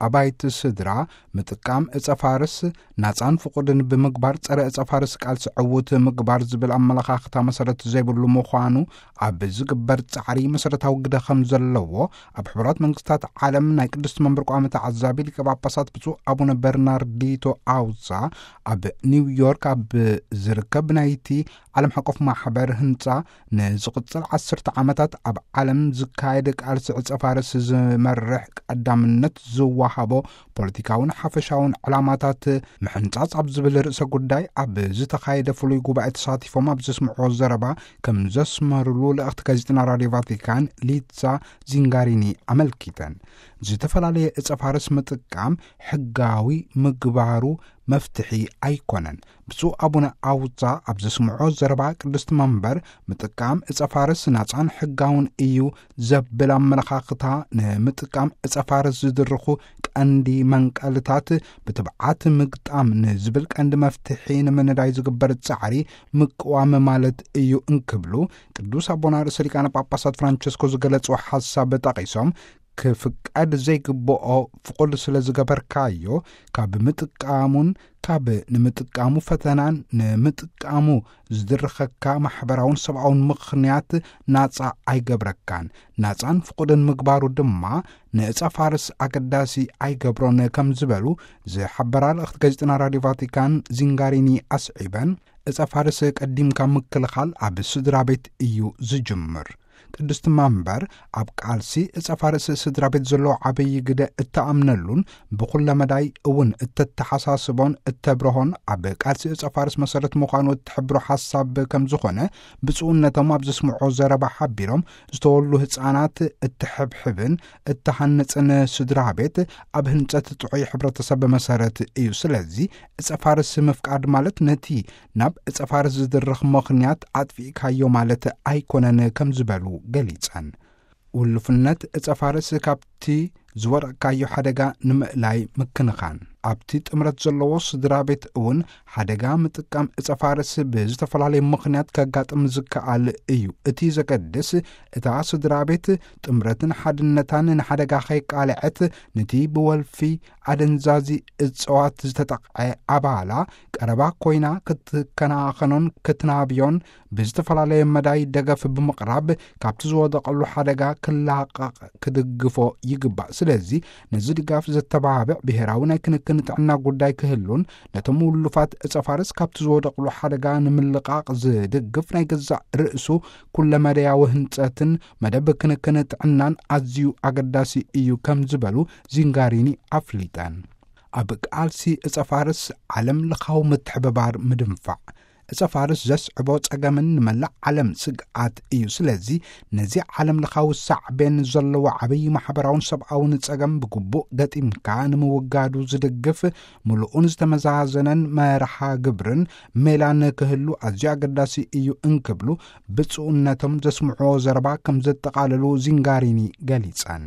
ኣባይቲ ስድራ ምጥቃም እጸ ፋርስ ናጻን ፍቑድን ብምግባር ጸረ እጸ ፋርስ ቃልሲ ዕዉት ምግባር ዝብል ኣመለኻኽታ መሰረት ዘይብሉ ምዃኑ ኣብ ዝግበር ጻዕሪ መሰረታዊ ግደ ከም ዘለዎ ኣብ ሕቡራት መንግስታት ዓለም ናይ ቅድስቲ መንበር ቋሚ ተዓዛቢ ሊቀ ጳጳሳት ብፁዕ ኣቡነ በርናርዲቶ ኣውዛ ኣብ ኒውዮርክ ኣብ ዝርከብ ናይቲ ዓለም ሓቆፍ ማሕበር ህንጻ ንዝቕጽል ዓሰርተ ዓመታት ኣብ ዓለም ዝካየድ ቃልሲ ዕጸ ፋርስ ዝመርሕ ቀዳምነት ዝወሃቦ ፖለቲካውን ሓፈሻውን ዕላማታት ምሕንጻጽ ኣብ ዝብል ርእሰ ጉዳይ ኣብ ዝተኻየደ ፍሉይ ጉባኤ ተሳቲፎም ኣብ ዘስምዕዎ ዘረባ ከም ዘስመሩሉ ልእኽቲ ጋዜጠና ራድዮ ቫቲካን ሊዛ ዚንጋሪኒ ኣመልኪተን። ዝተፈላለየ ዕጸ ፋርስ ምጥቃም ሕጋዊ ምግባሩ መፍትሒ ኣይኮነን። ብፁዕ ኣቡነ ኣውዛ ኣብ ዘስምዖ ዘረባ ቅድስቲ መንበር ምጥቃም ዕጸ ፋርስ ናጻን ሕጋውን እዩ ዘብል ኣመለኻኽታ ንምጥቃም ዕጸ ፋርስ ዝድርኹ ቀንዲ መንቀልታት ብትብዓት ምግጣም ንዝብል ቀንዲ መፍትሒ ንምንዳይ ዝግበር ጻዕሪ ምቅዋም ማለት እዩ እንክብሉ ቅዱስ ኣቦና ርእሰ ሊቃነ ጳጳሳት ፍራንቸስኮ ዝገለጽዎ ሓሳብ ጠቒሶም ክፍቀድ ዘይግብኦ ፍቑድ ስለ ዝገበርካዮ ካብ ምጥቃሙን ካብ ንምጥቃሙ ፈተናን ንምጥቃሙ ዝድርኸካ ማሕበራውን ሰብኣውን ምኽንያት ናጻ ኣይገብረካን። ናጻን ፍቑድን ምግባሩ ድማ ንዕጸ ፋርስ ኣገዳሲ ኣይገብሮን ከም ዝበሉ ዝሓበራ ልእኽቲ ጋዜጠና ራድዮ ቫቲካን ዚንጋሪኒ ኣስዒበን፣ ዕጸ ፋርስ ቀዲምካ ምክልኻል ኣብ ስድራ ቤት እዩ ዝጅምር። ቅድስቲ መንበር ኣብ ቃልሲ ዕጸ ፋርስ ስድራ ቤት ዘለዎ ዓብዪ ግደ እተኣምነሉን ብኹለ መዳይ እውን እተተሓሳስቦን እተብርሆን ኣብ ቃልሲ ዕጸ ፋርስ መሰረት ምዃኑ እትሕብሮ ሓሳብ ከም ዝኾነ ብፁዕነቶም ኣብ ዘስምዖ ዘረባ ሓቢሮም ዝተወሉ ህፃናት እትሕብሕብን እተሃንጽን ስድራ ቤት ኣብ ህንጸት ጥዑይ ሕብረተሰብ መሰረት እዩ። ስለዚ ዕጸ ፋርስ ምፍቃድ ማለት ነቲ ናብ ዕጸ ፋርስ ዝድርኽ ምኽንያት ኣጥፊእካዮ ማለት ኣይኮነን ከም ዝበሉ ገሊጸን። ውሉፍነት ዕጸ ፋርስ ካብቲ ዝወደቕካዮ ሓደጋ ንምእላይ ምክንኻን። ኣብቲ ጥምረት ዘለዎ ስድራ ቤት እውን ሓደጋ ምጥቃም ዕጸ ፋርስ ብዝተፈላለየ ምኽንያት ከጋጥም ዝከኣል እዩ። እቲ ዘገድስ እታ ስድራ ቤት ጥምረትን ሓድነታን ንሓደጋ ከይቃልዐት ነቲ ብወልፊ ኣደንዛዚ እጽዋት ዝተጠቕዐ ኣባላ ቀረባ ኮይና ክትከናኸኖን ክትናብዮን ብዝተፈላለየ መዳይ ደገፍ ብምቕራብ ካብቲ ዝወደቐሉ ሓደጋ ክላቐቕ ክድግፎ ይግባእ። ስለዚ ነዚ ድጋፍ ዘተባብዕ ብሔራዊ ናይ ክንክን ጥዕና ጉዳይ ክህሉን ነቶም ውሉፋት ዕጸ ፋርስ ካብቲ ዝወደቕሉ ሓደጋ ንምልቓቕ ዝድግፍ ናይ ገዛእ ርእሱ ኩለመደያዊ ህንጸትን መደብ ክንክን ጥዕናን ኣዝዩ ኣገዳሲ እዩ ከም ዝበሉ ዚንጋሪኒ ኣፍሊጠን። ኣብ ቃልሲ ዕጸ ፋርስ ዓለም ለኻዊ ምትሕብባር ምድንፋዕ። ዕጸ ፋርስ ዘስዕቦ ጸገምን ንመላእ ዓለም ስግኣት እዩ። ስለዚ ነዚ ዓለም ለኻዊ ሳዕቤን ዘለዎ ዓብዪ ማሕበራውን ሰብኣውን ጸገም ብግቡእ ገጢምካ ንምውጋዱ ዝድግፍ ምሉእን ዝተመዛዘነን መርሃ ግብርን ሜላን ክህሉ ኣዝዩ ኣገዳሲ እዩ እንክብሉ ብፁዕነቶም ዘስምዕዎ ዘረባ ከም ዘጠቓለሉ ዚንጋሪኒ ገሊጸን።